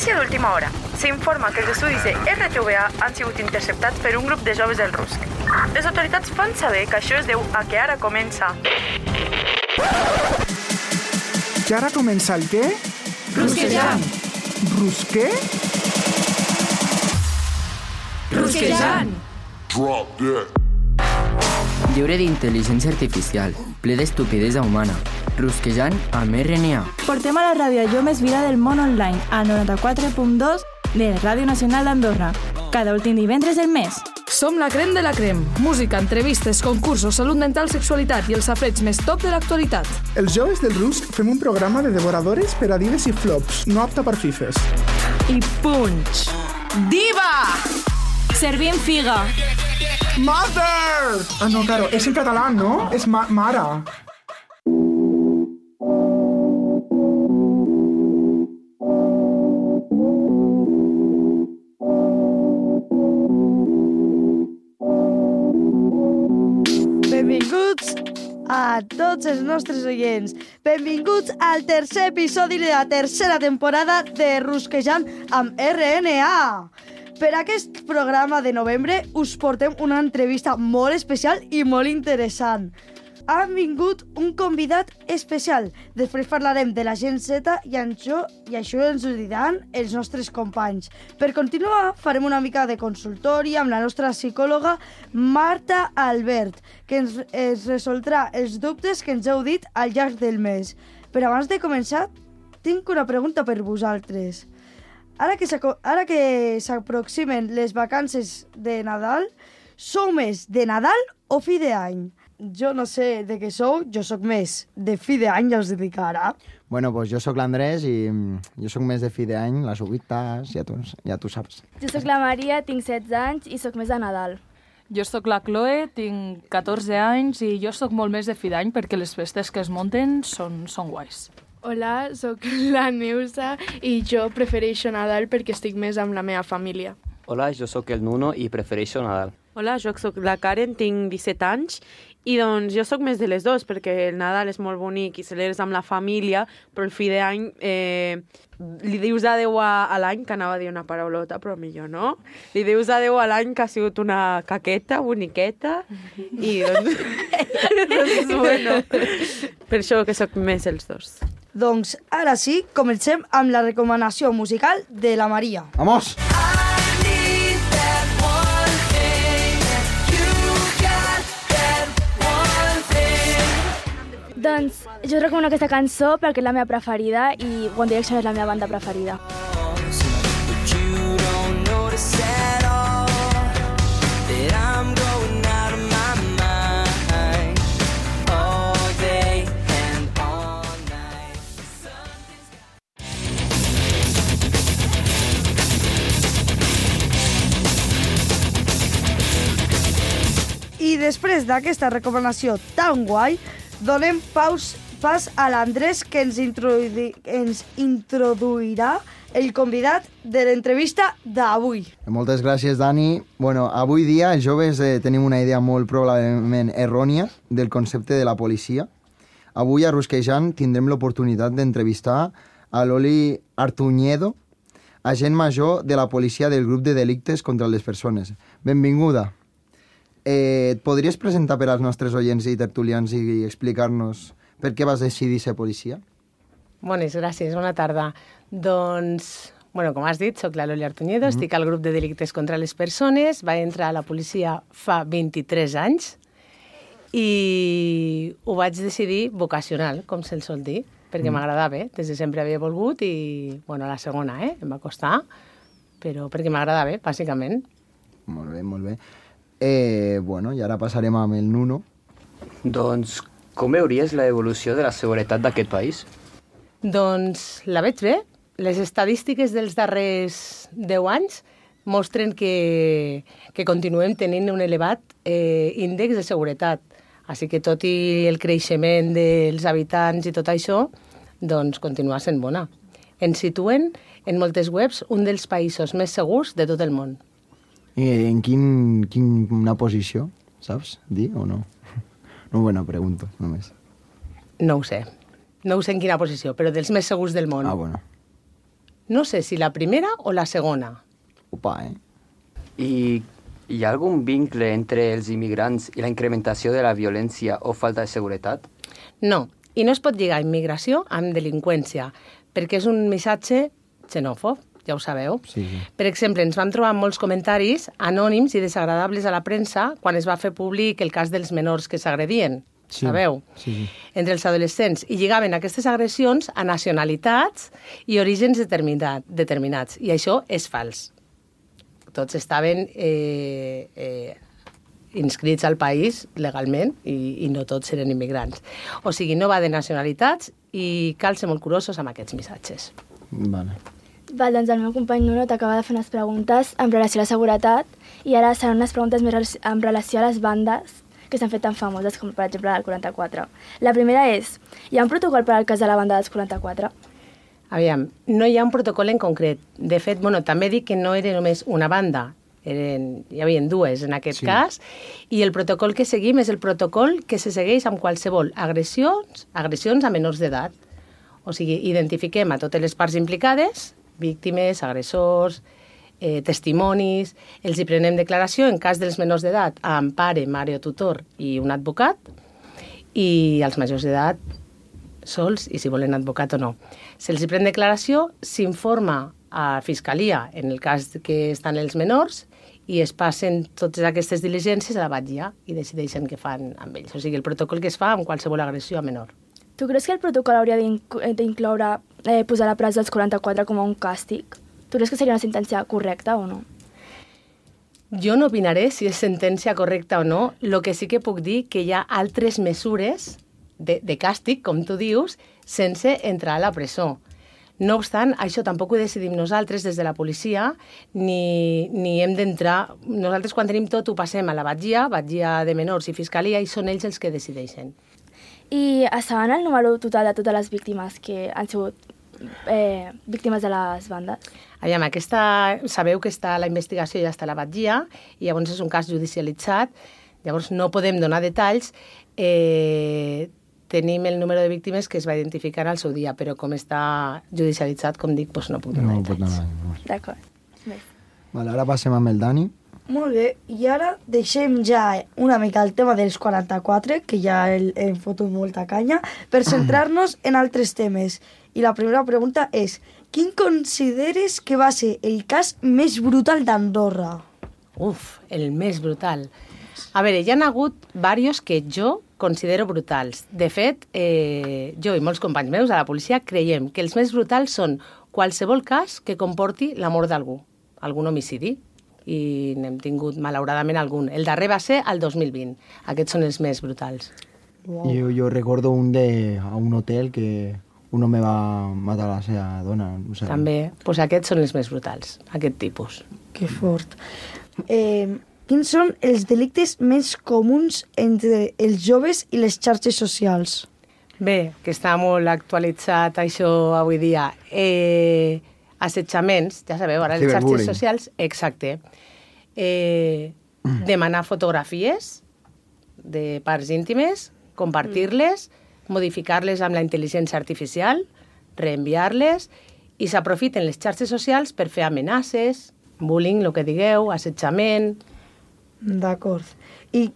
Notícia d'última hora. S'informa que els estudis de RTVA han sigut interceptats per un grup de joves del RUSC. Les autoritats fan saber que això es deu a que ara comença... Que ara comença el què? Rusquejant. Rusquer? Rusquejant. Drop that. Lliure d'intel·ligència artificial, ple d'estupidesa humana. Rusquejant amb RNA. Portem a la ràdio jo més vila del món online, a 94.2 de Ràdio Nacional d'Andorra, cada últim divendres del mes. Som la crem de la crem. Música, entrevistes, concursos, salut mental, sexualitat i els safareig més top de l'actualitat. Els joves del RUSC fem un programa de devoradores per a dives i flops, no apta per fifes. I punch! Diva! Servim figa. Mother! Ah, no, claro, és en català, no? És mare. Benvinguts a tots els nostres oients. Benvinguts al tercer episodi de la tercera temporada de Rusquejant amb RNA. Per aquest programa de novembre us portem una entrevista molt especial i molt interessant. Ha vingut un convidat especial. Després parlarem de la Gen Z i això ens ho diran els nostres companys. Per continuar, farem una mica de consultori amb la nostra psicòloga Marta Albert, que ens resoldrà els dubtes que ens heu dit al llarg del mes. Però abans de començar, tinc una pregunta per vosaltres. Ara que s'aproximen les vacances de Nadal, sou més de Nadal o fi d'any? Jo no sé de què sou, jo sóc més de fi d'any, ja us dic ara. Bueno, pues jo sóc l'Andrés i jo sóc més de fi d'any, les uvites, ja tu saps. Jo sóc la Maria, tinc 16 anys i sóc més de Nadal. Jo sóc la Chloe, tinc 14 anys i jo sóc molt més de fi d'any perquè les festes que es munten són guais. Hola, sóc la Neusa i jo prefereixo Nadal perquè estic més amb la meva família. Hola, jo sóc el Nuno i prefereixo Nadal. Hola, jo sóc la Karen, tinc 17 anys i doncs jo sóc més de les dues perquè el Nadal és molt bonic i celebres amb la família, però el fi d'any li dius adeu a l'any, que anava a dir una paraulota, però millor no. Li dius adeu a l'any que ha sigut una caqueta, boniqueta i doncs bueno, per això que sóc més els dos. Doncs ara sí, comencem amb la recomanació musical de la Maria. Vamos! Doncs jo recomano aquesta cançó perquè és la meva preferida i One Direction és la meva banda preferida. I després d'aquesta recomanació tan guai, donem pas a l'Andrés, que ens introduirà el convidat de l'entrevista d'avui. Moltes gràcies, Dani. Bueno, avui dia els joves tenim una idea molt probablement errònia del concepte de la policia. Avui a Rusquejant tindrem l'oportunitat d'entrevistar a l'Oli Artuñedo, agent major de la policia del grup de delictes contra les persones. Benvinguda. Et podries presentar per als nostres oients i tertulians i explicar-nos per què vas decidir ser policia? Bones, gràcies, bona tarda. Doncs, bueno, com has dit, soc la Loli Artuñedo, estic al grup de delictes contra les persones, vaig entrar a la policia fa 23 anys i ho vaig decidir vocacional, com se'l sol dir, perquè m'agradava, des de sempre havia volgut i, bueno, la segona, em va costar, però perquè m'agradava, bàsicament. Molt bé, molt bé. Bueno, i ara passarem amb el Nuno. Doncs, com veuries l'evolució de la seguretat d'aquest país? Doncs la veig bé. Les estadístiques dels darrers 10 anys mostren que continuem tenint un elevat índex de seguretat. Així que tot i el creixement dels habitants i tot això, doncs continua sent bona. Ens situen en moltes webs un dels països més segurs de tot el món. I en quina posició, saps dir o no? No, bueno, pregunto, només. No ho sé. No ho sé en quina posició, però dels més segurs del món. Ah, bueno. No sé si la primera o la segona. Opa, I hi ha algun vincle entre els immigrants i la incrementació de la violència o falta de seguretat? No, i no es pot lligar immigració amb delinqüència, perquè és un missatge xenòfob, ja ho sabeu. Sí. Per exemple, ens vam trobar molts comentaris anònims i desagradables a la premsa quan es va fer públic el cas dels menors que s'agredien, sabeu? Sí. Entre els adolescents, i lligaven aquestes agressions a nacionalitats i orígens determinats, i això és fals. Tots estaven inscrits al país legalment i no tots eren immigrants. O sigui, no va de nacionalitats i cal ser molt curosos amb aquests missatges. Vale. Val, doncs el meu company Nuno t'acaba de fer unes preguntes en relació a la seguretat i ara seran unes preguntes més en relació a les bandes que s'han fet tan famoses com, per exemple, el 44. La primera és, hi ha un protocol per al cas de la banda dels 44? Aviam, no hi ha un protocol en concret. De fet, també dic que no era només una banda, hi havia dues en aquest cas, i el protocol que seguim és el protocol que se segueix amb qualsevol agressions a menors d'edat. O sigui, identifiquem a totes les parts implicades, víctimes, agressors, testimonis, els hi prenem declaració en cas dels menors d'edat amb pare, mare o tutor i un advocat, i els majors d'edat sols i si volen advocat o no. Se'ls hi pren declaració, s'informa a Fiscalia en el cas que estan els menors i es passen totes aquestes diligències a la batlla i decideixen què fan amb ells. O sigui, el protocol que es fa amb qualsevol agressió a menor. Tu creus que el protocol hauria d'incloure posar a la presó els 44 com a un càstig? Tu creus que seria una sentència correcta o no? Jo no opinaré si és sentència correcta o no. El que sí que puc dir que hi ha altres mesures de càstig, com tu dius, sense entrar a la presó. No obstant, això tampoc ho decidim nosaltres des de la policia, ni hem d'entrar... Nosaltres quan tenim tot ho passem a la batlla de menors i fiscalia, i són ells els que decideixen. I saben el número total de totes les víctimes que han sigut víctimes de les bandes? Aviam, sabeu que la investigació ja està a la batlla, i llavors és un cas judicialitzat, llavors no podem donar detalls. Tenim el número de víctimes que es va identificar al seu dia, però com està judicialitzat, com dic, no puc donar detalls. D'acord. Vale, ara passem amb el Dani. Molt bé, i ara deixem ja una mica el tema dels 44, que ja hem fotut molta canya, per centrar-nos en altres temes. I la primera pregunta és, quin consideres que va ser el cas més brutal d'Andorra? El més brutal. A veure, hi ha hagut diversos que jo considero brutals. De fet, jo i molts companys meus a la policia creiem que els més brutals són qualsevol cas que comporti la mort d'algú, algun homicidi, i n'hem tingut, malauradament, algun. El darrer va ser el 2020. Aquests són els més brutals. Wow. Jo recordo a un hotel que un home va matar la seva dona. No sé. També, doncs aquests són els més brutals, aquest tipus. Que fort. Quins són els delictes més comuns entre els joves i les xarxes socials? Bé, que està molt actualitzat això avui dia. Assetjaments, ja sabeu, ara les xarxes socials, exacte. Demanar fotografies de parts íntimes, compartir-les, modificar-les amb la intel·ligència artificial, reenviar-les, i s'aprofiten les xarxes socials per fer amenaces, bullying, el que digueu, assetjament... D'acord. I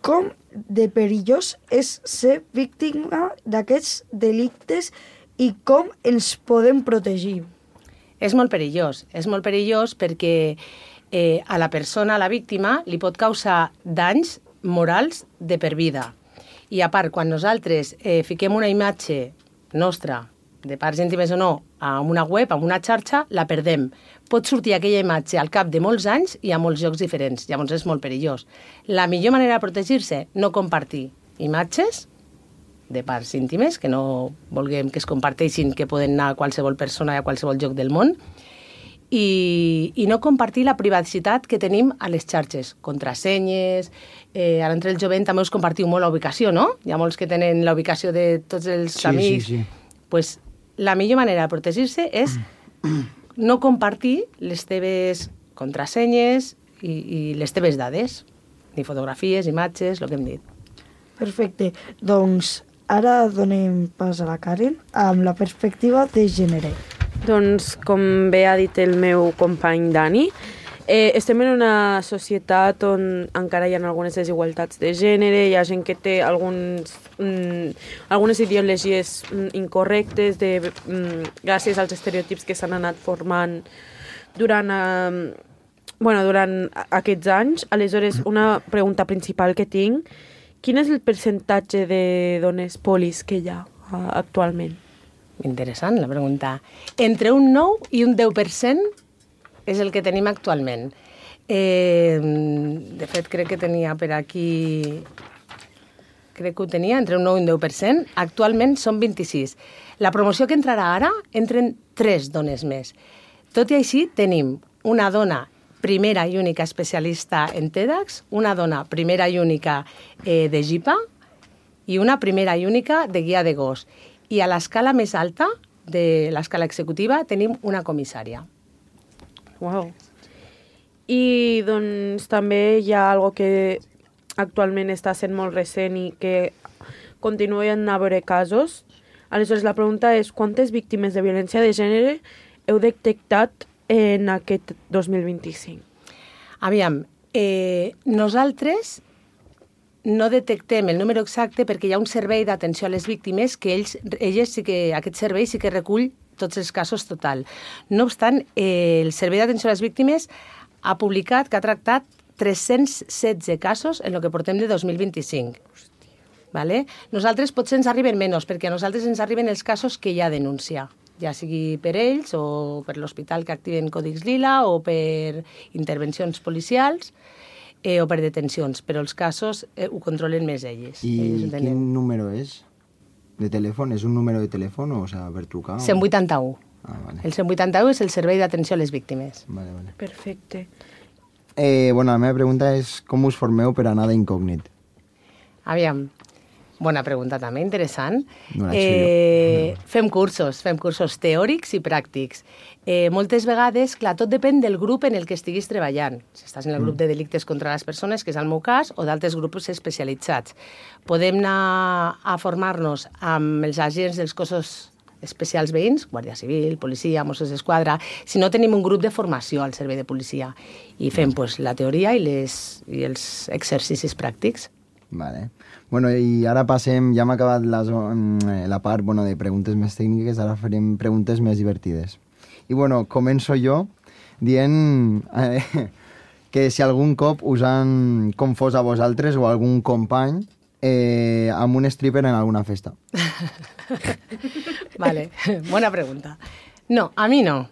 com de perillós és ser víctima d'aquests delictes i com ens podem protegir? És molt perillós perquè a la persona, a la víctima, li pot causar danys morals de per vida. I a part, quan nosaltres fiquem una imatge nostra, de parts íntimes o no, a una web, a una xarxa, la perdem. Pot sortir aquella imatge al cap de molts anys i a molts llocs diferents. Llavors és molt perillós. La millor manera de protegir-se, no compartir imatges de parts íntimes, que no vulguem que es comparteixin, que poden anar a qualsevol persona i a qualsevol lloc del món, i no compartir la privacitat que tenim a les xarxes, contrasenyes, ara entre el jovent també us compartiu molt la ubicació, no? Hi ha molts que tenen la ubicació de tots els amics. Sí. Pues la millor manera de protegir-se és no compartir les teves contrasenyes i les teves dades, ni fotografies, imatges, el que hem dit. Perfecte. Doncs ara donem pas a la Karen amb la perspectiva de gènere. Doncs, com bé ha dit el meu company Dani, estem en una societat on encara hi ha algunes desigualtats de gènere, hi ha gent que té algunes ideologies incorrectes gràcies als estereotips que s'han anat formant durant aquests anys. Aleshores, una pregunta principal que tinc, quin és el percentatge de dones polis que hi ha actualment? Interessant la pregunta. Entre un 9 i un 10% és el que tenim actualment. De fet, crec que tenia per aquí... Crec que ho tenia entre un 9 i un 10%. Actualment són 26. La promoció que entrarà ara, entren 3 dones més. Tot i així, tenim una dona primera i única especialista en TEDx, una dona primera i única de GIPA i una primera i única de guia de gos. I a l'escala més alta, de l'escala executiva, tenim una comissària. Uau. I doncs també hi ha algo que actualment està sent molt recent i que continuen a haver casos. Aleshores, la pregunta és quantes víctimes de violència de gènere heu detectat en aquest 2025? Aviam, nosaltres no detectem el número exacte perquè hi ha un servei d'atenció a les víctimes que aquest servei sí que recull tots els casos total. No obstant, el servei d'atenció a les víctimes ha publicat que ha tractat 316 casos en el que portem de 2025. Vale? Nosaltres potser ens arriben menys, perquè a nosaltres ens arriben els casos que hi ha denúncia, ja sigui per ells o per l'hospital que activen còdics lila o per intervencions policials, o per detencions, però els casos ho controlen més elles. I quin número és de telèfon? És un número de telèfon o per trucar? 181. Vale. El 181 és el servei d'atenció a les víctimes. Vale. Perfecte. La meva pregunta és com us formeu per anar d'incògnit? Aviam, bona pregunta també, interessant. No Fem cursos teòrics i pràctics. Moltes vegades, clar, tot depèn del grup en el que estiguis treballant. Si estàs en el grup de delictes contra les persones, que és el meu cas, o d'altres grups especialitzats. Podem anar a formar-nos amb els agents dels cossos especials veïns, Guàrdia Civil, Policia, Mossos d'Esquadra, si no tenim un grup de formació al servei de policia. I fem la teoria i els exercicis pràctics. Vale. Bueno, i ara passem, ja hem acabat la part de preguntes més tècniques, ara farem preguntes més divertides. I començo jo dient que si algun cop us han confós a vosaltres o a algun company amb un stripper en alguna festa. Vale, bona pregunta. No, a mi no,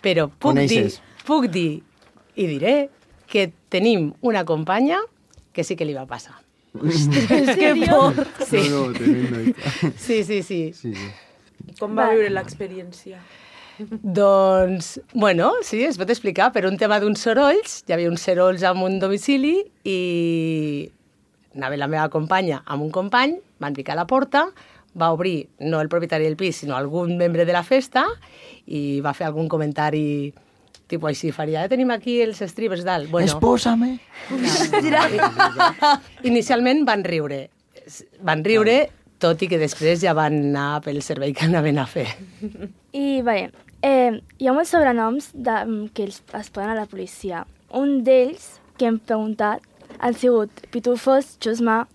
però puc dir i diré que tenim una companya que sí que li va passar. Ostres, que por! Sí. No, tremendo. Sí. Com va viure l'experiència? Doncs, sí, es pot explicar. Per un tema d'uns sorolls, hi havia uns sorolls en un domicili i anava la meva companya amb un company, van picar a la porta, va obrir, no el propietari del pis, sinó algun membre de la festa, i va fer algun comentari tipus així, faria, tenim aquí els strippers dalt. Espósame! Inicialment van riure, tot i que després ja van anar pel servei que anaven a fer. I, hi ha molts sobrenoms que es poden a la policia. Un d'ells, que hem preguntat, han sigut pitufos, chusma,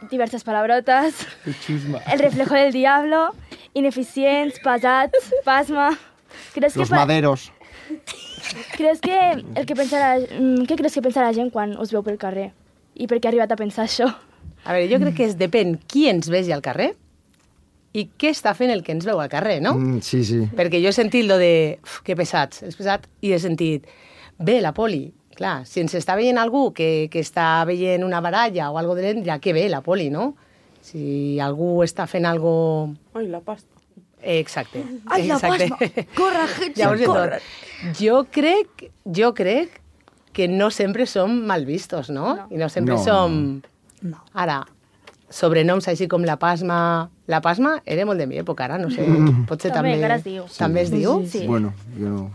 diverses palabrotes, el reflejo del diablo, ineficients, pesats, pasma... Los maderos. Què creus que pensa la gent quan us veu pel carrer? I per què ha arribat a pensar això? A veure, jo crec que depèn qui ens vegi al carrer i què està fent el que ens veu al carrer, no? Sí. Perquè jo he sentit lo de, que pesats, és pesat, i he sentit, bé, la poli. Clar, si ens està veient algú que està veient una baralla o algo de l'endria, que bé, la poli, no? Si algú està fent algo... Ai, la pasta. Exacte. Ai, la pasma! Corre, Hetzi, corre! Jo crec que no sempre som mal vistos, no? I no sempre som... No. Ara, sobrenoms així com la Pasma... La Pasma era molt de mi època, ara, no sé. Potser també... També, encara es diu. També es diu? Sí. Bueno, jo no...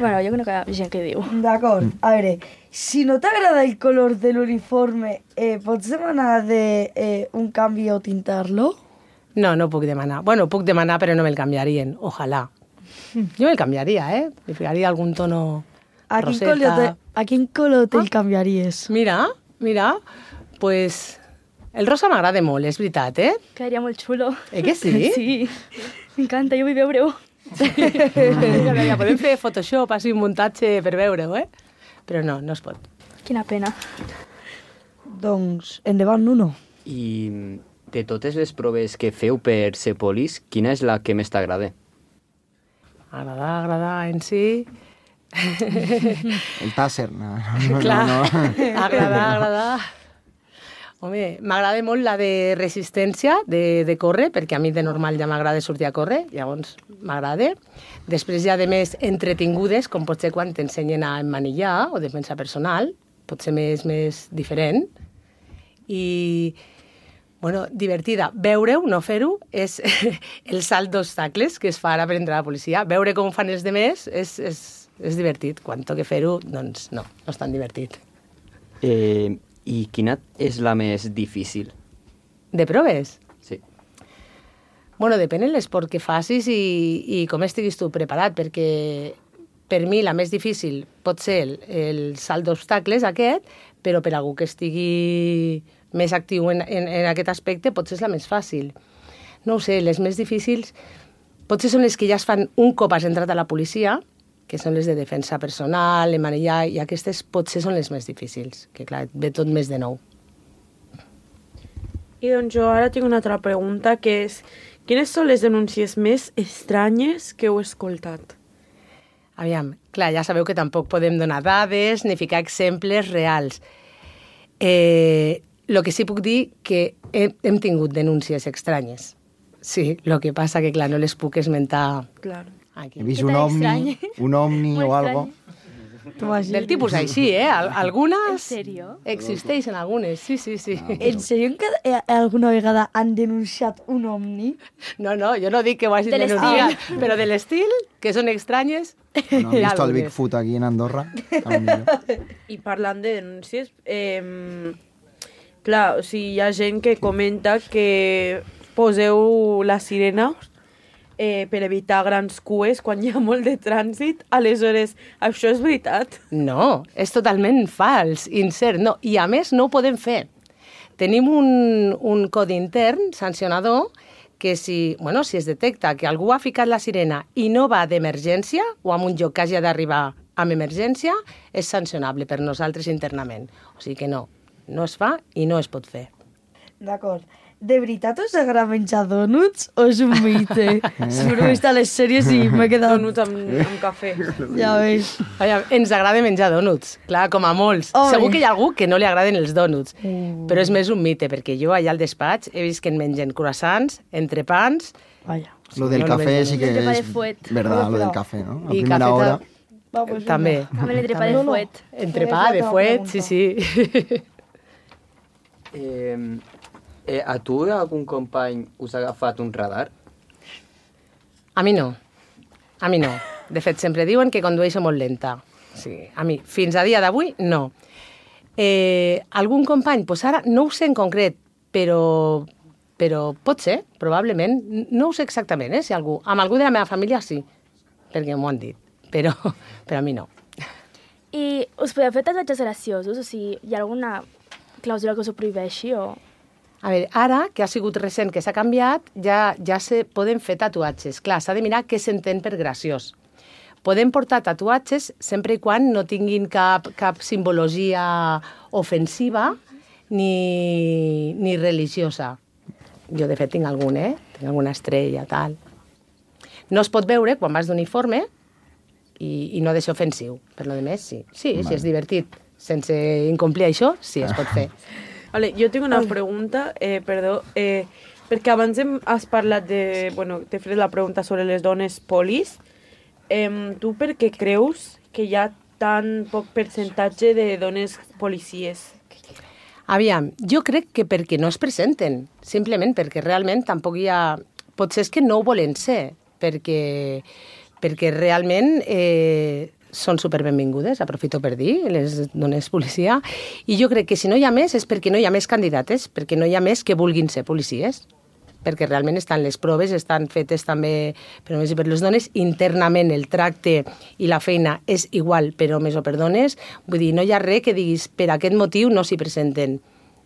Bueno, jo crec que hi ha gent que diu. D'acord. A veure, si no t'agrada el color de l'uniforme, pots demanar un canvi o tintar-lo? No puc demanar. Bueno, puc demanar, però no me'l canviarien. Ojalà. Jo el canviaria, Li ficaria algun tono A quin color te'l canviaries? Mira, pues el rosa m'agrada molt, és veritat, Quedaria molt xulo. Que sí? Sí, m'encanta, jo vull veure-ho. Ja podem fer Photoshop, així un muntatge per veure-ho, Però no es pot. Quina pena. Doncs, endavant, Nuno. I de totes les proves que feu per ser polis, quina és la que més t'agrada? Agradar en si... El tàsser, no. Clar, agradar. Home, m'agrada molt la de resistència, de córrer, perquè a mi de normal ja m'agrada sortir a córrer, llavors m'agrada. Després hi ha de més entretingudes, com pot ser quan t'ensenyen a emmanillar o defensa personal, pot ser més diferent. I, bueno, divertida. Veure-ho, no fer-ho, és el salt d'obstacles que es fa ara per entrar a la policia. Veure com fan els demés és divertit. Quan toca fer-ho, doncs no és tan divertit. I quina és la més difícil? De proves? Sí. Bueno, depèn de l'esport que facis i com estiguis tu preparat, perquè per mi la més difícil pot ser el salt d'obstacles aquest, però per algú que estigui més actiu en aquest aspecte potser és la més fàcil. No ho sé, les més difícils potser són les que ja es fan un cop has entrat a la policia, que són les de defensa personal, emmanillar, i aquestes potser són les més difícils, que clar, ve tot més de nou. I doncs jo ara tinc una altra pregunta, que és, quines són les denúncies més estranyes que heu escoltat? Aviam, clar, ja sabeu que tampoc podem donar dades ni ficar exemples reals. El que sí puc dir que hem tingut denúncies estranyes. Sí, el que passa que, clar, no les puc esmentar. Claro. Aquí. He vist un ovni o algo. Del tipus així, Algunes... ¿En serio? Existeixen algunes, sí. En sèrio que alguna vegada han denunciat un ovni? No, jo no dic que ho hagin denunciat, però de l'estil, que són estranyes... No, he vist el Bigfoot aquí en Andorra. I parlant de denúncies, clar, o sigui, hi ha gent que comenta que poseu la sirena per evitar grans cues quan hi ha molt de trànsit. Aleshores, això és veritat? No, és totalment fals, incert. No. I a més no ho podem fer. Tenim un codi intern sancionador que si es detecta que algú ha ficat la sirena i no va d'emergència o en un lloc que hagi d'arribar amb emergència, és sancionable per nosaltres internament. O sigui que no es fa i no es pot fer. D'acord. De veritat us agrada menjar dònuts o és un mite? Seguro que he vist a les sèries i m'he quedat... Dònuts amb cafè. Ja veus. Ens agrada menjar dònuts, clar, com a molts. Segur que hi ha algú que no li agraden els dònuts, però és més un mite, perquè jo allà al despatx he vist que en mengen croissants, entrepans... Lo del cafè sí que és... Verdad, lo del cafè, no? A primera hora... També. També l'entrepà de fuet. Entrepà de fuet, sí. A tu algun company us ha agafat un radar? A mi no. De fet, sempre diuen que condueixo molt lenta. Sí, a mi, fins a dia d'avui, no. Algun company, doncs ara no ho sé en concret, però pot ser, probablement. No ho sé exactament, si algú... Amb algú de la meva família sí, perquè m'ho han dit, però a mi no. I us podeu fer tatuatges graciosos? O sigui, hi ha alguna clàusula que us ho prohibeixi o...? A veure, ara, que ha sigut recent que s'ha canviat, ja se poden fer tatuatges. Clar, s'ha de mirar què s'entén per graciós. Podem portar tatuatges sempre i quan no tinguin cap simbologia ofensiva ni religiosa. Jo, de fet, tinc algun, Tinc alguna estrella, tal. No es pot veure quan vas d'uniforme i no ha de ser ofensiu. Per lo demés, sí. Sí, si és divertit. Sense incomplir això, sí, es pot fer. Vale, jo tinc una pregunta, perquè abans has parlat t'he fet la pregunta sobre les dones polis. Tu per què creus que hi ha tan poc percentatge de dones policies? Aviam, jo crec que perquè no es presenten, simplement perquè realment tampoc hi ha... Potser és que no ho volen ser, perquè realment... són superbenvingudes, aprofito per dir, les dones policia, i jo crec que si no hi ha més és perquè no hi ha més candidates, perquè no hi ha més que vulguin ser policies. perquè realment les proves estan fetes també per homes i per les dones. Internament el tracte i la feina és igual per homes o per dones. Vull dir, no hi ha res que diguis per aquest motiu no s'hi presenten.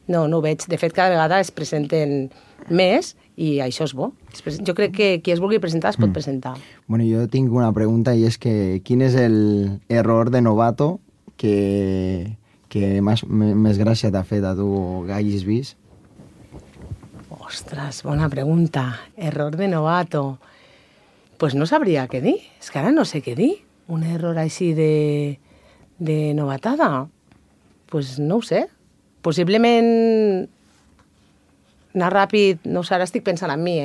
No ho veig. De fet, cada vegada es presenten més i això és bo. Jo crec que qui es vulgui presentar es pot presentar. Bueno, jo tinc una pregunta i és que quin és el error de novato que més gràcia t'ha fet a tu que hagis vist? Ostres, bona pregunta. Error de novato. Pues no sabria què dir. És que ara no sé què dir. Un error així de novatada. Pues no ho sé. Possiblement anar ràpid, no ho sé, ara estic pensant en mi,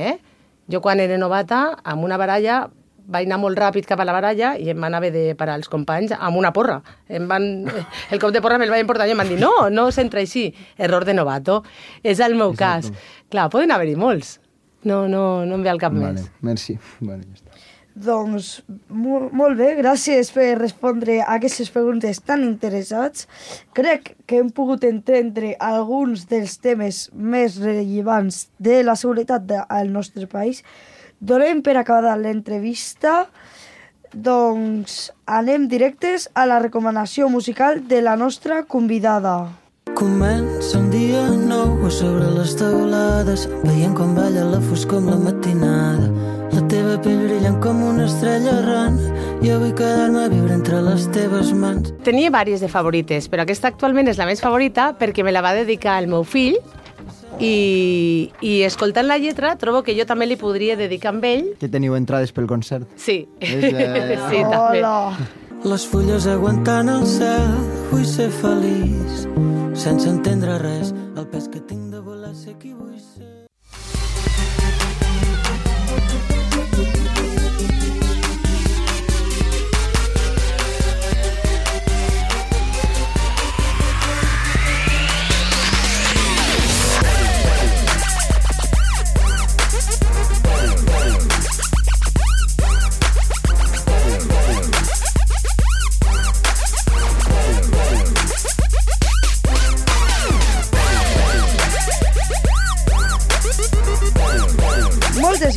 Jo quan era novata, amb una baralla, vaig anar molt ràpid cap a la baralla i em van haver de parar els companys amb una porra. El cop de porra me'l vaig emportar i em van dir no s'entra així. Error de novato. És el meu cas. Clar, poden haver-hi molts. No em ve al cap més. Merci. Bueno, ja està. Doncs molt bé, gràcies per respondre a aquestes preguntes tan interessants. Crec que hem pogut entendre alguns dels temes més rellevants de la seguretat al nostre país. Donem per acabada l'entrevista. Doncs anem directes a la recomanació musical de la nostra convidada. Comença un dia nou a sobre les teulades, veient com balla la foscor amb la matinada. La teva pell brillant com una estrella errant, jo vull quedar-me a viure entre les teves mans. Tenia diverses de favorites, però aquesta actualment és la més favorita perquè me la va dedicar el meu fill i escoltant la lletra trobo que jo també li podria dedicar amb ell. Que teniu entrades pel concert? Sí. Sí, també. Les fulles aguantant el cel, vull ser feliç, sense entendre res, el pes que tinc de voler ser qui vull ser.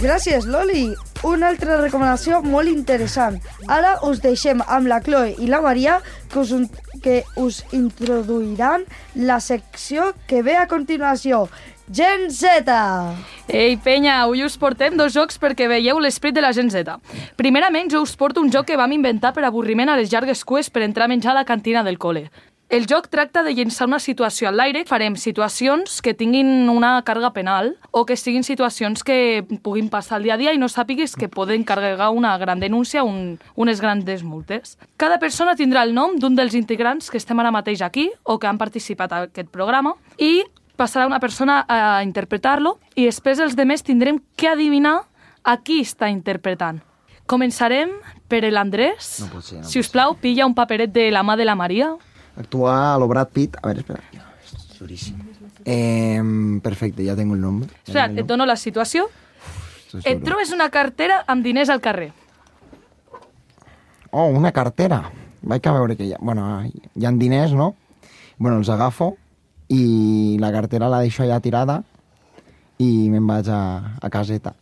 Gràcies, Loli. Una altra recomanació molt interessant. Ara us deixem amb la Chloe i la Maria que us introduiran la secció que ve a continuació. Gen Z! Ei, penya, avui us portem 2 jocs perquè veieu l'esprit de la Gen Z. Primerament, jo us porto un joc que vam inventar per avorriment a les llargues cues per entrar a menjar a la cantina del col·le. El joc tracta de llençar una situació al l'aire. Farem situacions que tinguin una càrrega penal o que siguin situacions que puguin passar al dia a dia i no sàpigues que poden carregar una gran denúncia o unes grans multes. Cada persona tindrà el nom d'un dels integrants que estem ara mateix aquí o que han participat a aquest programa i passarà una persona a interpretar-lo i després els demés tindrem que adivinar a qui està interpretant. Començarem per l'Andrés. No pot ser. Si us plau, pilla un paperet de la mà de la Maria. Actuar a lo Brad Pitt. A ver, espera. Es durísimo. Perfecte, ja tengo el nombre. Espera, et dono la situació. Et trobes una cartera amb diners al carrer. Oh, una cartera. Vaig a veure que hi ha diners, no? Bueno, els agafo i la cartera la deixo allà tirada i me'n vaig a caseta.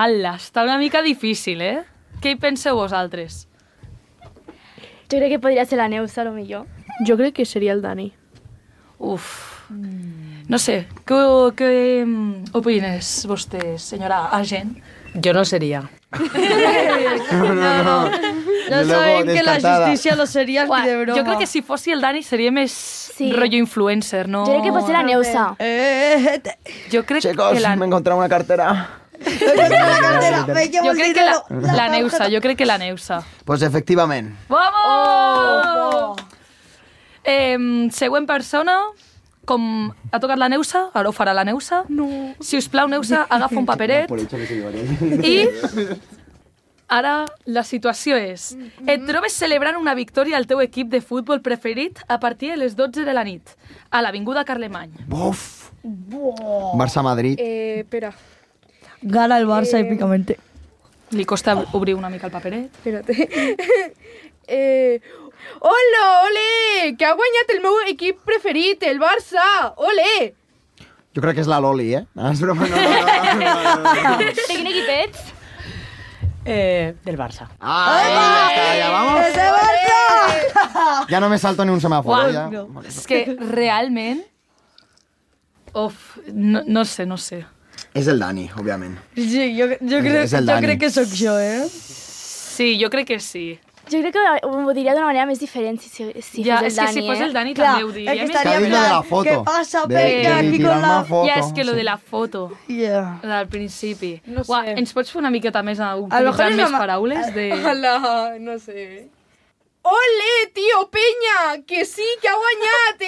Ala, està una mica difícil, eh? Què hi penseu vosaltres? Jo crec que podria ser la Neus, a lo millor. Jo crec que seria el Dani. Uf. No sé, què opines vostè, senyora agent? Jo no seria. No. Ja sabem que la justícia no seria ni de broma. Jo crec que si fossi el Dani seria més rotllo influencer, no? Jo crec que pot ser la Neusa. Jo crec Chicos, que m'he encontrat una cartera. Jo crec que la Neusa, Pues efectivament. Vamos! Següent persona, com ha tocat la Neusa, ara ho farà la Neusa. No. Si us plau, Neusa, agafa un paperet. I ara la situació és: et trobes celebrant una victòria al teu equip de futbol preferit a partir de les 12 de la nit, a l'Avinguda Carlemany. Buf! Barça-Madrid. Espera. Gana el Barça épicamente. Li costa obrir una mica el paperet. Espérate. Hola, ole! Que ha guanyat el meu equip preferit, el Barça! Ole! Jo crec que és la Loli, eh? És broma, no. De quin equip ets? Del Barça. Ja vamos. ¡Ese Barça! Ja no me salto ni un semàforo, ja. És que realment... No sé. És el Dani, òbviament. Sí, jo crec que sóc jo, eh? Sí, jo crec que sí. Jo crec que ho diria d'una manera més diferent si fos el Dani, és que si fos el Dani també ho diria. És que estaria en plan, què passa, Peña, aquí con la... Ja, és que lo de la foto, al principi. No sé. Ens pots fer una miqueta més utilitzant més paraules? No sé. Ole, tio, Peña, que sí, que ha guanyat,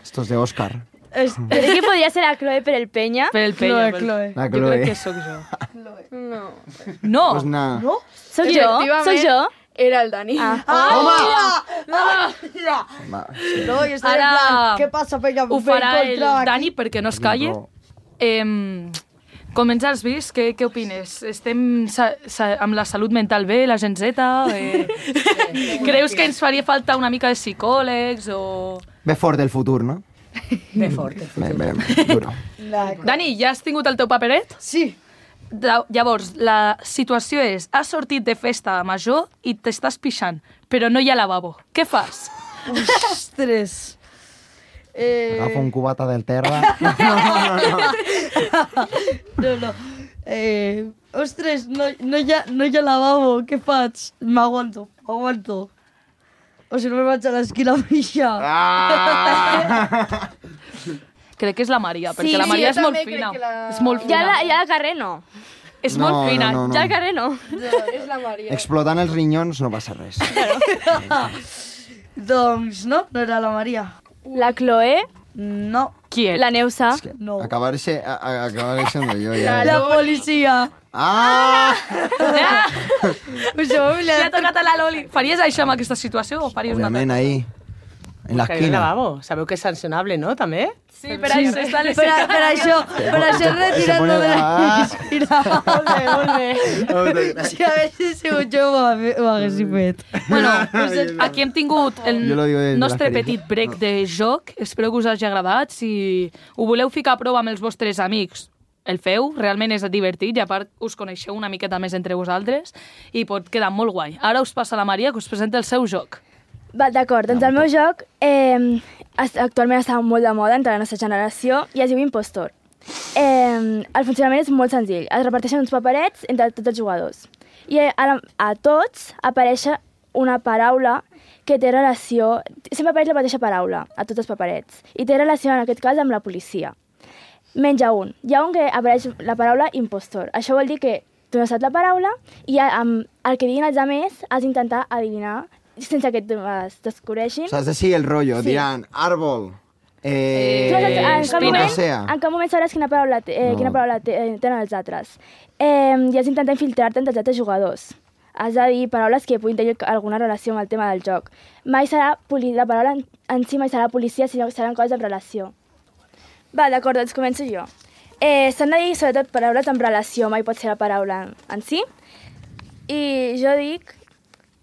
Esto es de Òscar. Crec que podria ser la Chloe per el Peña. Per el Peña. Chloe. La Jo Chloe. crec que sóc jo. No. No! Pues nada. No? Soc jo? Era el Dani. No, jo estaré en plan, què passa, Peña? Ho farà el Dani perquè no es calle. Comença els vis, què opines? Estem amb la salut mental bé, la gent zeta? Creus que ens faria falta una mica de psicòlegs o...? Ve fort del futur, no? Ve fort. Bé, duro. Dani, ja has tingut el teu paperet? Sí. Llavors, la situació és, has sortit de festa major i t'estàs pixant, però no hi ha lavabo. Què fas? Ostres. Agafa un cubata del terra. No. Ostres, no hi ha lavabo, què faig? M'aguanto. O si no me vaig a l'esquina a pixar. Crec que és la Maria, perquè la Maria és molt fina. És molt fina. Ja al carrer no. És molt fina. No. Ja al carrer no. És la Maria. Explotant els rinyons no passa res. Doncs no era la Maria. La Chloe? No. Qui és? La Neusa? No. Acabaré siendo yo ya. La policia. Li ha tocat a la Loli. Faries això amb aquesta situació o faries una Obviamente ahí. En la Que esquina. lavabo. Sabeu que és sancionable, no? També? Sí, per això està les... Per això retirant-lo de la piscina. Molt bé. Si haguessis sigut jo, ho haguessis fet. Bueno, aquí hem tingut el Jo lo digo desde nostre la experiencia. petit break de joc. Espero que us hagi agradat. Si ho voleu ficar a prova amb els vostres amics, el feu. Realment és divertit i a part us coneixeu una miqueta més entre vosaltres i pot quedar molt guai. Ara us passa la Maria que us presenta el seu joc. D'acord, doncs el meu joc actualment està molt de moda entre la nostra generació i es diu Impostor. El funcionament és molt senzill. Es reparteixen uns paperets entre tots els jugadors. I a tots apareix una paraula que té relació... Sempre apareix la mateixa paraula a tots els paperets. I té relació, en aquest cas, amb la policia. Menys a un. Hi ha un que apareix la paraula impostor. Això vol dir que tu no saps la paraula i amb el que diguin els altres has d'intentar adivinar sense que es descobreixin. O sea, has de seguir el rollo. Sí. Dirán, árbol, En cap moment sabràs quina paraula tenen els altres. I has d'intentar infiltrar-te entre els altres jugadors. Has de dir paraules que puguin tenir alguna relació amb el tema del joc. Mai serà la paraula en si mai serà policia, sinó que seran coses en relació. Va, d'acord, doncs començo jo. S'han de dir sobretot paraules en relació, mai pot ser la paraula en si. I jo dic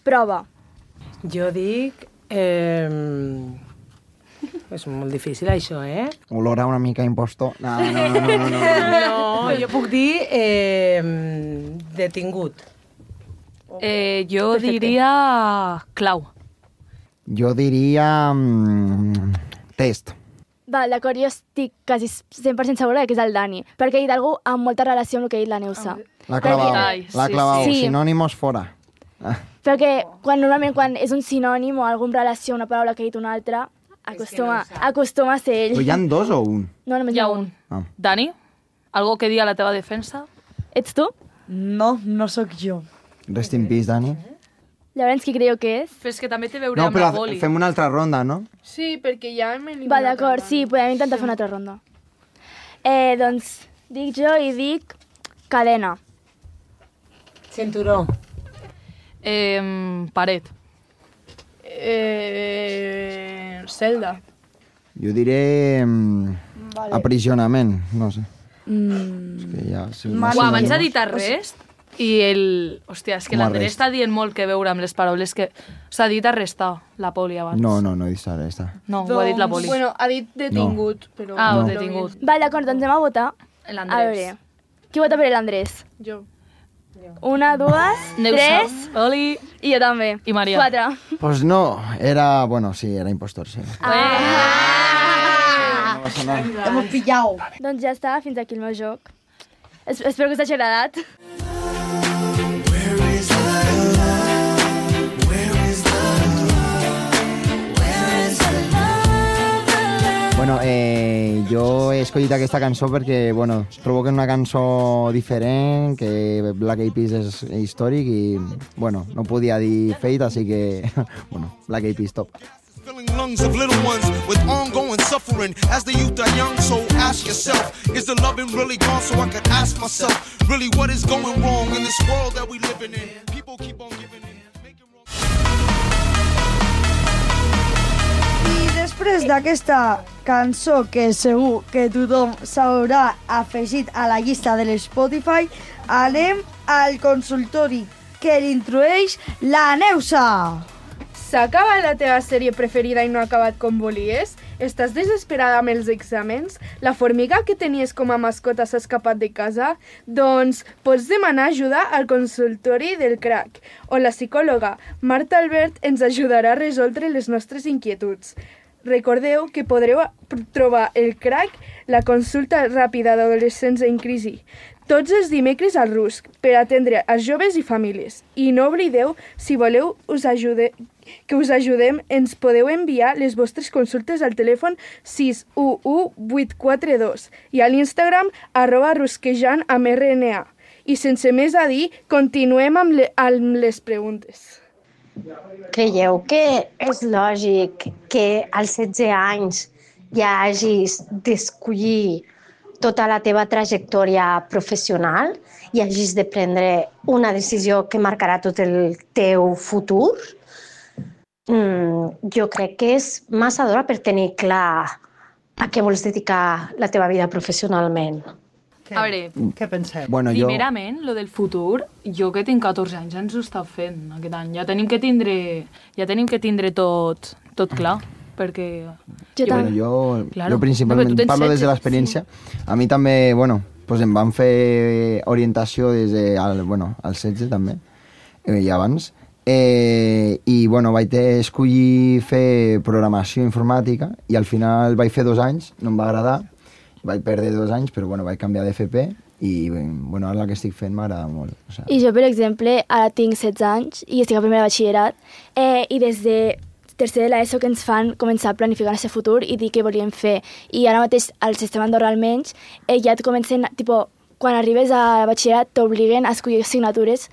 prova. Jo dic... És molt difícil, això, eh? olor a una mica impostor. No. No, jo puc dir detingut. Jo diria clau. Jo diria test. Va, d'acord, jo estic quasi 100% segura que és el Dani, perquè he dit algú amb molta relació amb el que ha dit la Neusa. La clavau, Sí. sinònimos fora. Perquè normalment quan és un sinònim o alguna relació, una paraula que ha dit una altra, acostuma a ser ell. Però hi ha dos o un? No, només hi ha un. Dani, algo que dir a la teva defensa? Ets tu? No, no sóc jo. Rest in peace, Dani. Llavors, qui creieu que és? Però és que també té a veure No, amb la però boli. fem una altra ronda, no? Sí, perquè ja hem eliminat... Va, d'acord, sí, podem intentar fer una altra ronda. Doncs dic jo i dic cadena. Cinturó. Paret. Celda. Jo diré aprisionament, no sé. És que ja... Abans ha dit arrest? I hòstia, és que l'Andrés està dient molt que veure amb les paraules que... S'ha dit arrestar, la poli, abans. No he dit arrestar. No, ho ha dit la poli. Bueno, ha dit detingut, però... Ah, no. Detingut. Vale, d'acord, doncs anem a votar. L'Andrés. A veure, qui vota per l'Andrés? Jo. 1, 2, 3... Oli. I jo també. I Maria. 4. Pues no, era... Bueno, sí, era impostor, sí. Hemos pillado. Doncs ja està, fins aquí el meu joc. Espero que us hagi agradat. Bueno, jo he escollit aquesta cançó perquè, bueno, trobo que és una cançó diferent, que Black Eyed Peas és històric i, bueno, no podia dir Fate, així que, bueno, Black Eyed Peas top. Filling lungs of little ones with ongoing suffering. As the youth are young, so ask yourself, is the loving really gone? So I could ask myself, really what is going wrong in this world that we living in? People keep on giving in. I després d'aquesta cançó que segur que tothom s'haurà afegit a la llista de l'Spotify, anem al consultori que l'introdueix la Neusa. S'ha acabat la teva sèrie preferida i no ha acabat com volies? Estàs desesperada amb els exàmens? La formiga que tenies com a mascota s'ha escapat de casa? Doncs pots demanar ajuda al consultori del CRAC, on la psicòloga Marta Albert ens ajudarà a resoldre les nostres inquietuds. Recordeu que podreu trobar el CRAC, la consulta ràpida d'adolescents en crisi, tots els dimecres al RUSC per atendre els joves i famílies. I no oblideu, si voleu que us ajudem, ens podeu enviar les vostres consultes al telèfon 611-842 i a l'Instagram @rusquejant_rna. I sense més a dir, continuem amb les preguntes. Creieu que és lògic que als 16 anys ja hagis d'escollir tota la teva trajectòria professional i hagis de prendre una decisió que marcarà tot el teu futur? Jo crec que és massa d'hora per tenir clar a què vols dedicar la teva vida professionalment. A veure, què penseu? Bueno, primerament, lo del futur, jo que tinc 14 anys ens ho està fent aquest any. Ja tenim que tindre tot clar, perquè... Jo principalment parlo des de l'experiència. A mi també, bueno, pues em van fer orientació des al 16 també, i abans. I bueno, vaig escollir fer programació informàtica i al final vaig fer 2 anys, no em va agradar, vaig perdre 2 anys, però bueno, vaig canviar d'FP i bueno, ara el que estic fent m'agrada molt. O sea... I jo, per exemple, ara tinc 16 anys i estic a primer de batxillerat i des de tercer de l'ESO que ens fan començar a planificar el nostre futur i dir què volíem fer. I ara mateix, al sistema Andorra almenys, ja et comencen, quan arribes a batxillerat t'obliguen a escollir assignatures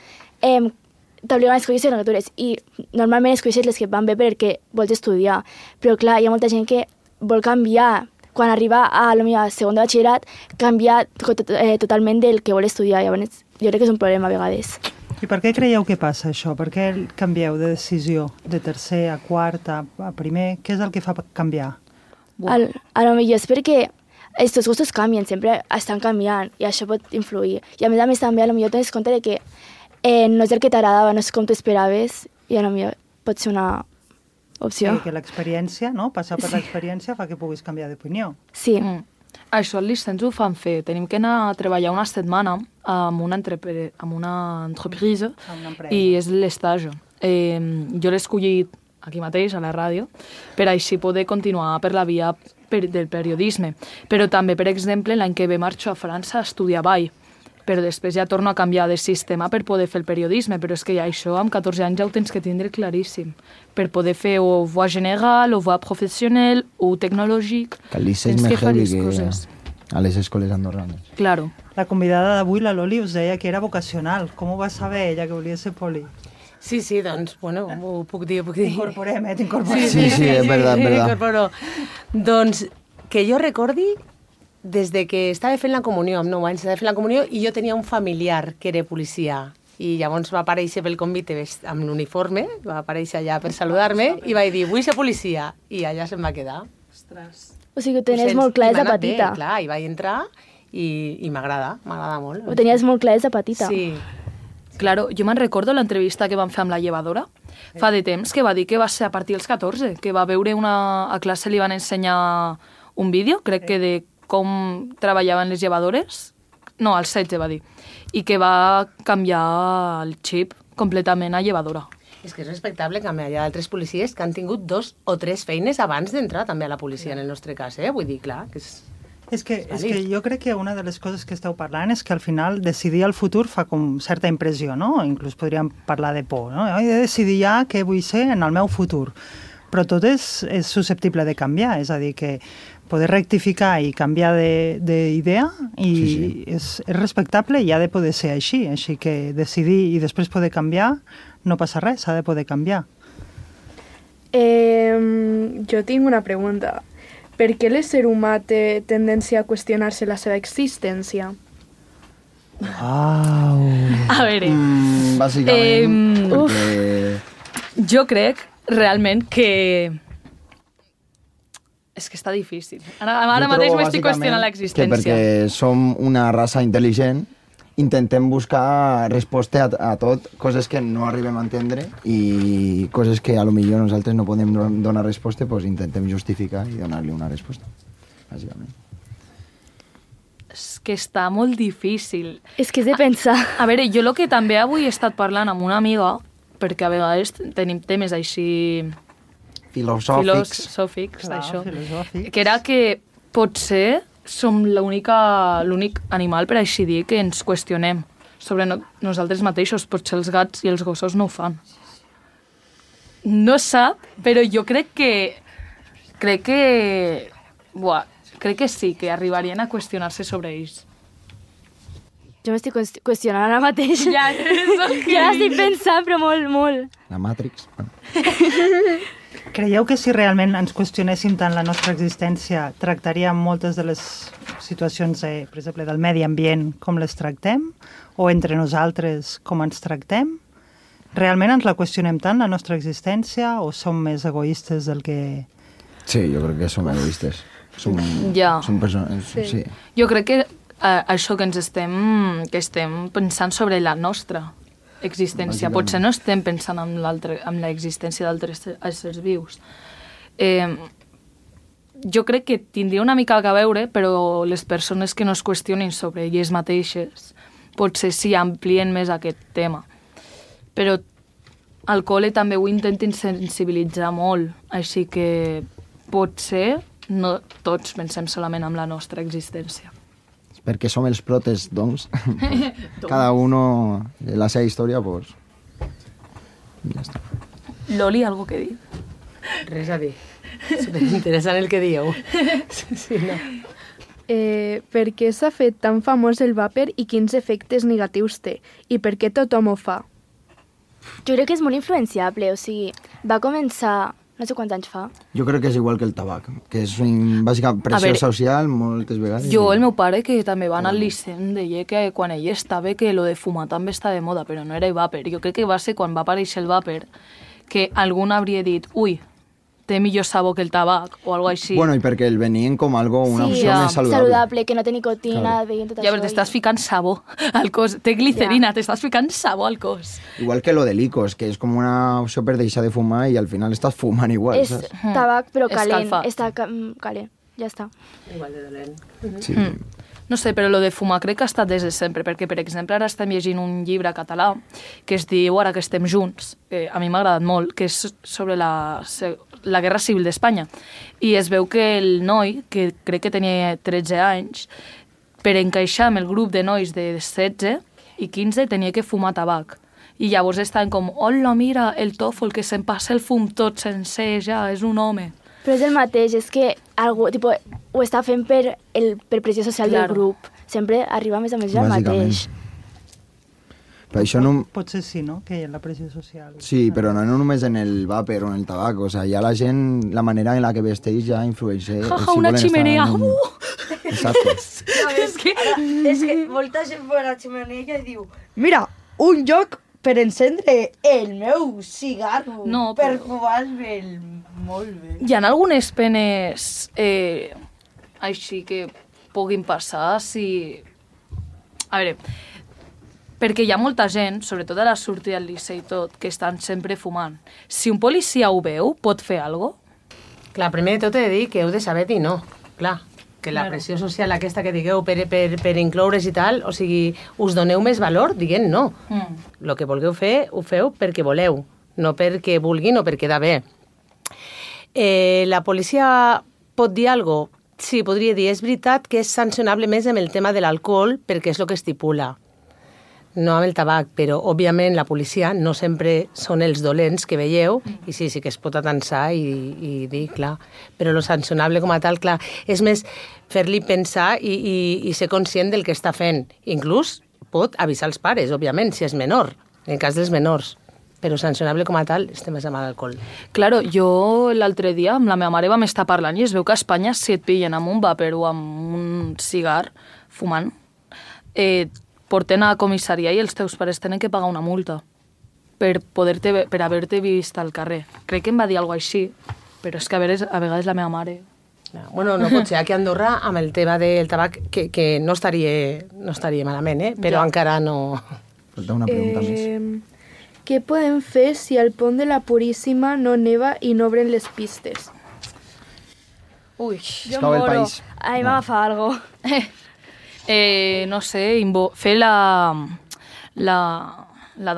i normalment escolleixes les que van bé perquè vols estudiar. Però clar, hi ha molta gent que vol canviar quan arriba a segon de batxillerat, canviar totalment del que vol estudiar. Llavors, jo crec que és un problema a vegades. I per què creieu que passa això? Per què canvieu de decisió de tercer a quart a primer? Què és el que fa canviar? A lo millor és perquè els teus gustos canvien, sempre estan canviant i això pot influir. I a més també a lo millor tens compte que no és el que t'agradava, no és com tu esperaves i a lo millor pot ser una opció. Sí, que l'experiència, no? Passar per l'experiència fa que puguis canviar d'opinió. Sí. Això al licens ho fan fer. Tenim que anar a treballar una setmana amb una entreprise i és l'estatge. Jo l'he escollit aquí mateix, a la ràdio, per així poder continuar per la via del periodisme. Però també, per exemple, l'any que ve marxo a França a estudiar ball, però després ja torno a canviar de sistema per poder fer el periodisme, però és que ja això amb 14 anys ja ho tens que tindre claríssim, per poder fer o voie general, o voie professional, o tecnològic. Que el liceu és més heavy que a les escoles andorranes. Claro. La convidada d'avui, la Loli, us deia que era vocacional. Com ho va saber ella, que volia ser poli? Sí, doncs, bueno, ho puc dir. T'incorporem, t'incorporem. Sí, és veritat. Doncs, que jo recordi, des de que estava fent la comunió, amb 9 anys, estava fent la comunió i jo tenia un familiar que era policia i llavors va aparèixer pel convite amb l'uniforme, va aparèixer allà per saludar-me i vaig dir, vull ser policia, i allà se'm va quedar. Ostres. O sigui, ho tenies molt clar des de petita. Clar, i vaig entrar i m'agrada molt. Ho tenies molt clar des de petita. Sí. Claro, jo me'n recordo l'entrevista que vam fer amb la llevadora fa de temps, que va dir que va ser a partir dels 14, que va veure a classe li van ensenyar un vídeo, crec que de com treballaven les llevadores, no, als 16 va dir, i que va canviar el xip completament a llevadora. És que és respectable que hi ha altres policies que han tingut 2 o 3 feines abans d'entrar també a la policia, en el nostre cas, Vull dir, clar, que és... És que jo crec que una de les coses que esteu parlant és que al final decidir el futur fa com certa impressió, no? Inclús podríem parlar de por, no? He de decidir ja què vull ser en el meu futur. Però tot és susceptible de canviar, és a dir, que poder rectificar i canviar d'idea i és respectable i ha de poder ser així. Així que decidir i després poder canviar no passa res, s'ha de poder canviar. Jo tinc una pregunta. Per què l'ésser humà té tendència a qüestionar-se la seva existència? A veure... Bàsicament, perquè... Jo crec realment que... És que està difícil. Ara mateix m'estic qüestionant l'existència. Que perquè som una raça intel·ligent, intentem buscar resposta a tot, coses que no arribem a entendre i coses que a lo millor nosaltres no podem donar resposta, doncs intentem justificar i donar-li una resposta, bàsicament. És que està molt difícil. És que és de pensar. A veure, jo el que també avui he estat parlant amb una amiga, perquè a vegades tenim temes així... filosòfics, d'això. Que era que potser som l'únic animal, per així dir, que ens qüestionem sobre nosaltres mateixos. Potser els gats i els gossos no ho fan. No sap, però jo crec que sí, que arribarien a qüestionar-se sobre ells. Jo m'estic qüestionant ara mateix. Ja estic pensant, però molt, molt. La Matrix. Creieu que si realment ens qüestionéssim tant la nostra existència, tractaríem moltes de les situacions, per exemple, del medi ambient com les tractem? O entre nosaltres com ens tractem? Realment ens la qüestionem tant, la nostra existència, o som més egoistes del que... Sí, jo crec que som egoistes. Som persones... Sí. Jo crec que això que estem pensant sobre la nostra existència. Potser no estem pensant en l'existència d'altres éssers vius. Jo crec que tindria una mica a veure, però les persones que no es qüestionin sobre elles mateixes potser sí amplien més aquest tema. Però al col·le també ho intenten sensibilitzar molt, així que potser no tots pensem solament en la nostra existència. Perquè som els protes, doncs. Cada uno, la seva història, doncs... Ja està. Loli, algo que dir? Res a dir. Superinteressant el que dieu. Sí, no. Per què s'ha fet tan famós el vàper i quins efectes negatius té? I per què tothom ho fa? Jo crec que és molt influenciable, o sigui, va començar... No sé quants anys fa. Jo crec que és igual que el tabac, que és bàsicament pressió social moltes vegades. Jo, el meu pare, que també va anar al liceu, deia que quan ell estava que lo de fumar també està de moda, però no era el vàper. Jo crec que va ser quan va aparèixer el vàper que algú hauria dit, ui, té millor sabor que el tabac, o alguna cosa així. Bueno, i perquè el venien com algo, una opció més saludable, que no té nicotina, veient tot això. Ja, però t'estàs ficant sabor al cos. Té glicerina, t'estàs ficant sabor al cos. Igual que lo de l'icos, que és com una opció per deixar de fumar i al final estàs fumant igual, saps? És tabac, però calent. Està calent, ja està. Igual de dolent. Sí. No sé, però lo de fumar crec que ha estat des de sempre, perquè, per exemple, ara estem llegint un llibre català que es diu Ara que estem junts, que a mi m'ha agradat molt, que és sobre la Guerra Civil d'Espanya. I es veu que el noi, que crec que tenia 13 anys, per encaixar amb el grup de nois de 16 i 15 tenia que fumar tabac. I llavors estaven com, hola, mira, el tòfol, que se'n passa el fum tot sencer, ja, és un home. Però és el mateix, és que algú, tipo, ho està fent per pressió social del grup. Sempre arriba més o menys el mateix. Però això no... Potser sí, no?, que hi ha la pressió social. Sí, però no només en el vàper o en el tabac. O sigui, ja la gent, la manera en la que vesteix ja influeix. Una ximenea! Exacte. És que molta gent va a la ximenea i diu, mira, un lloc per encendre el meu cigarro, no, per fumar-me'l molt bé. Hi ha algunes penes així que puguin passar si... A veure, Perquè hi ha molta gent, sobretot a la sortida del liceu i tot, que estan sempre fumant. Si un policia ho veu, pot fer alguna cosa? Clar, primer de tot he de dir que heu de saber dir no. Clar, que la pressió social aquesta que digueu per incloure's i tal, o sigui, us doneu més valor dient no. El que vulgueu fer, ho feu perquè voleu, no perquè vulguin o per quedar bé. La policia pot dir alguna cosa? Sí, podria dir, és veritat que és sancionable més amb el tema de l'alcohol perquè és el que estipula, no amb el tabac, però òbviament la policia no sempre són els dolents que veieu i sí que es pot atensar i dir, clar, però lo sancionable com a tal, clar, és més fer-li pensar i ser conscient del que està fent. Inclús pot avisar els pares, òbviament, si és menor, en el cas dels menors. Però sancionable com a tal, estem més amb l'alcohol. Claro, jo l'altre dia amb la meva mare vam estar parlant i es veu que a Espanya si et pillen amb un vàper o amb un cigar fumant, porten a comissaria i els teus pares tenen que pagar una multa per haver-te vist al carrer. Crec que em va dir alguna cosa així, però és que a vegades la meva mare... Bueno, no pot ser. Aquí a Andorra, amb el tema del tabac, que no estaria malament, però encara no... Falta una pregunta més. Què podem fer si al pont de la Puríssima no neva i no obren les pistes? Ui, jo moro. A mi m'agafa algo. No sé, fer la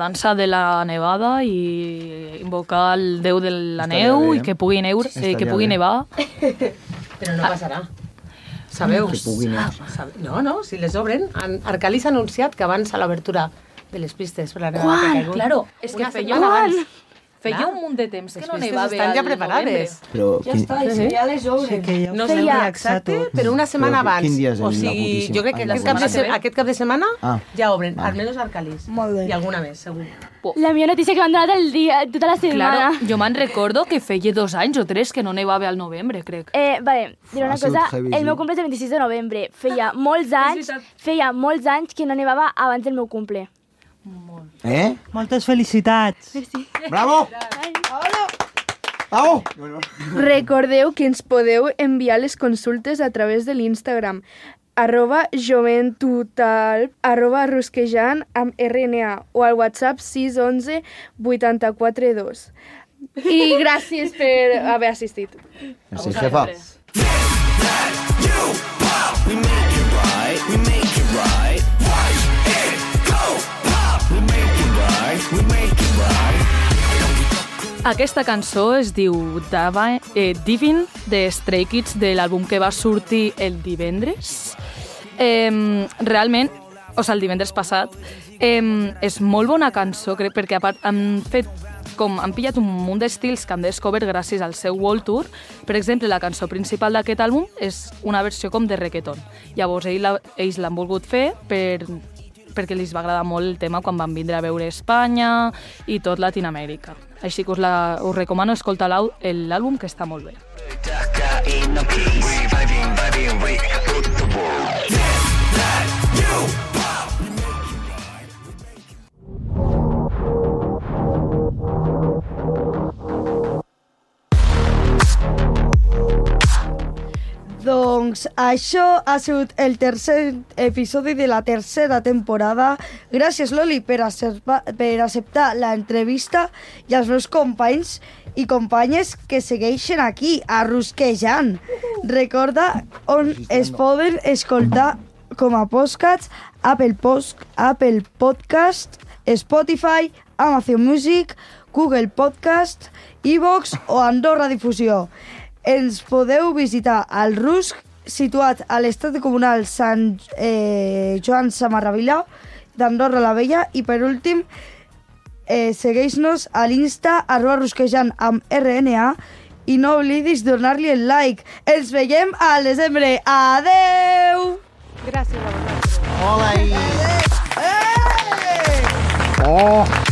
dansa de la nevada i invocar el déu de la neu i que pugui nevar. Però no passarà. Sabeu? Que pugui nevar. No, si les obren. Arcalí s'ha anunciat que abans a l'obertura de les pistes per la nevada que ha caigut. Claro, és que feia un munt de temps que no nevava estan ja preparades. Però ja està, ja les obren. No sé exacte, però una setmana abans. Quin dia és o sigui, jo crec que aquest cap de setmana ja obren, almenys Arcalís. Molt bé. I alguna més, segur. La millor notícia que m'han donat el dia, tota la setmana. Claro, jo me'n recordo que feia 2 anys o 3 que no nevava al novembre, crec. Vale, diré una cosa, el meu cumple és el 26 de novembre. Feia molts anys que no nevava abans del meu cumple. Moltes felicitats. Merci. Bravo! Bravo! Recordeu que ens podeu enviar les consultes a través de l'Instagram @joventutalp, @rusquejant amb RNA o al WhatsApp 611 842. I gràcies per haver assistit. Merci, jefa. Aquesta cançó es diu Divin, de Stray Kids, de l'àlbum que va sortir el divendres. Realment, el divendres passat, és molt bona cançó, crec, perquè a part han pillat un munt d'estils que han descobert gràcies al seu World Tour. Per exemple, la cançó principal d'aquest àlbum és una versió com de reggaeton. Llavors, ells l'han volgut fer perquè els va agradar molt el tema quan van vindre a veure Espanya i tot Latinoamèrica. Així que us recomano escoltar l'àlbum, que està molt bé. Doncs això ha sigut el tercer episodi de la tercera temporada. Gràcies, Loli, per acceptar l'entrevista i als meus companys i companyes que segueixen aquí, a Rusquejant. Recorda on es poden escoltar com a podcasts: Apple Podcast, Spotify, Amazon Music, Google Podcast, iVoox o Andorra Difusió. Ens podeu visitar al Rusc, situat a l'estat comunal Sant Joan Samarravila d'Andorra la Vella. I per últim, segueix-nos a l'Insta @rusquejant amb RNA i no oblidis donar-li el like. Ens veiem al desembre. Adeu! Gràcies a vosaltres. Hola! Oh!